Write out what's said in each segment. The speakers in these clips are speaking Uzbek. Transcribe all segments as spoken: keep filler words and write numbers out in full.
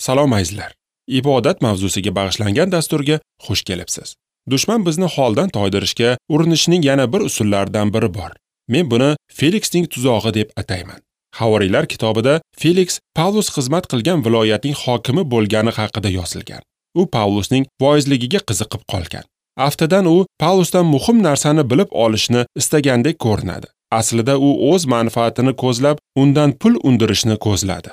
Salom azizlar. Ibodat mavzusiga bag'ishlangan dasturga xush kelibsiz. Dushman bizni holdan toydirishga urinishining yana bir usullaridan biri bor. Men buni Feliksning tuzog'i deb atayman. Havoriylar kitobida Feliks Pavlus xizmat qilgan viloyatning hokimi bo'lgani haqida yozilgan. U Pavlusning voizligiga qiziqib qolgan. Aftidan u Pavlusdan muhim narsani bilib olishni istagandek ko'rinadi. Aslida u o'z manfaatini ko'zlab, undan pul undirishni ko'zladi.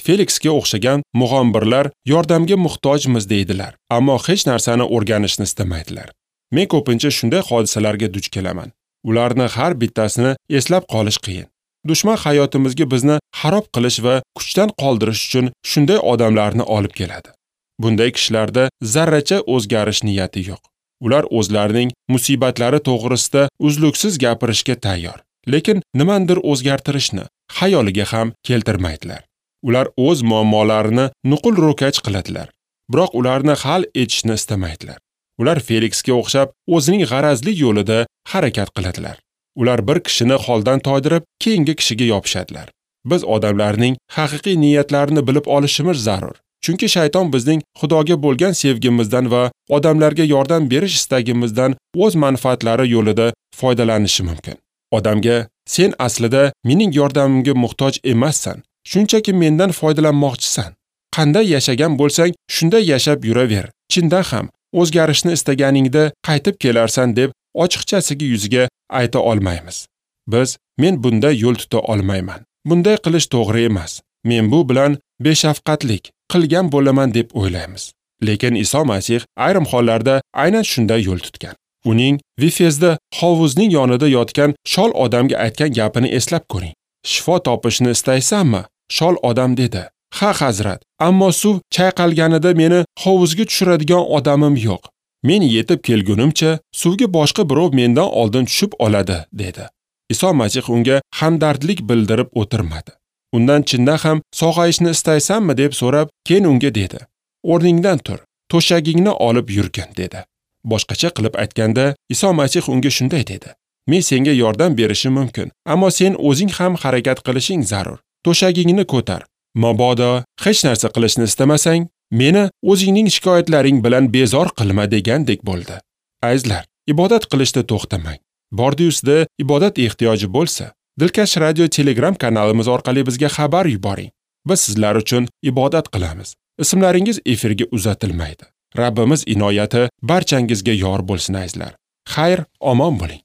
Feliksga o'xshagan mug'ombirlar yordamga muhtojmiz deydilar, ammo hech narsani o'rganishni istamaydilar. Men ko'pincha shunday hodisalarga duch kelaman. Ularni har bittasini eslab qolish qiyin. Dushman hayotimizga bizni xarob qilish va kuchdan qoldirish uchun shunday odamlarni olib keladi. Bunday kishilarda zarracha o'zgarish niyati yo'q. Ular o'zlarining musibatlari to'g'risida uzluksiz gapirishga tayyor, lekin nimandir o'zgartirishni xayoliga ham keltirmaydilar. Ular o'z muammolarini nuqul ro'kach qiladilar, biroq ularni hal etishni istamaydilar. Ular Feliksga o'xshab o'zining g'arazli yo'lida harakat qiladilar. Ular bir kishini holdan toydirib, keyingi kishiga yopishadilar. Biz odamlarning haqiqiy niyatlarini bilib olishimiz zarur. Chunki shayton bizning Xudoga bo'lgan sevgimizdan va odamlarga yordam berish istagimizdan o'z manfaatlari yo'lida foydalanishi mumkin. Odamga sen aslida mening yordamimga muhtoj emassan, shunchaki mendan foydalanmoqchisan. Qanday yashagan bo'lsang, shunday yashab yuraver. Chindan ham o'zgarishni istaganingda qaytib kelarsan deb ochiqchasiga yuziga ayta olmaymiz. Biz men bunday yo'l tuta olmayman. Bunday qilish to'g'ri emas. Men bu bilan beshafqatlik qilgan bo'laman deb o'ylaymiz. Lekin Iso Masih ayrim hollarda aynan shunday yo'l tutgan. Uning Vifezda hovuzning yonida yotgan shol odamga aytgan gapini eslab ko'ring. Shifo topishni istaysanmi? Shol odam dedi. Ha, hazrat, ammo suv chayqalganida meni hovuzga tushiradigan odamim yo'q. Men yetib kelgunimcha suvga boshqa birov mendan oldin tushib oladi, dedi. Iso Masih unga hamdardlik bildirib o'tirmadi. Undan chindan ham sog'ayishni istaysanmi deb so'rab, keyin unga dedi: "O'rningdan tur, to'shagingni olib yurgin", dedi. Boshqacha qilib aytganda, Iso Masih unga shunday dedi: "Men senga yordam berishim mumkin, ammo sen o'zing ham harakat qilishing zarur. To'shagingni ko'tar. Mabodo hech narsa qilishni istamasang, meni o'zingning shikoyatlaring bilan bezor qilma" degandek bo'ldi. Azizlar, ibodat qilishda to'xtamang. Bordiusda ibodat ehtiyoji bo'lsa, Dilkash Radio Telegram kanalimiz orqali bizga xabar yuboring. Biz sizlar uchun ibodat qilamiz. Ismlaringiz efirga uzatilmaydi. Rabbimiz inoyati barchangizga yor bo'lsin azizlar. Xayr, omon bo'ling.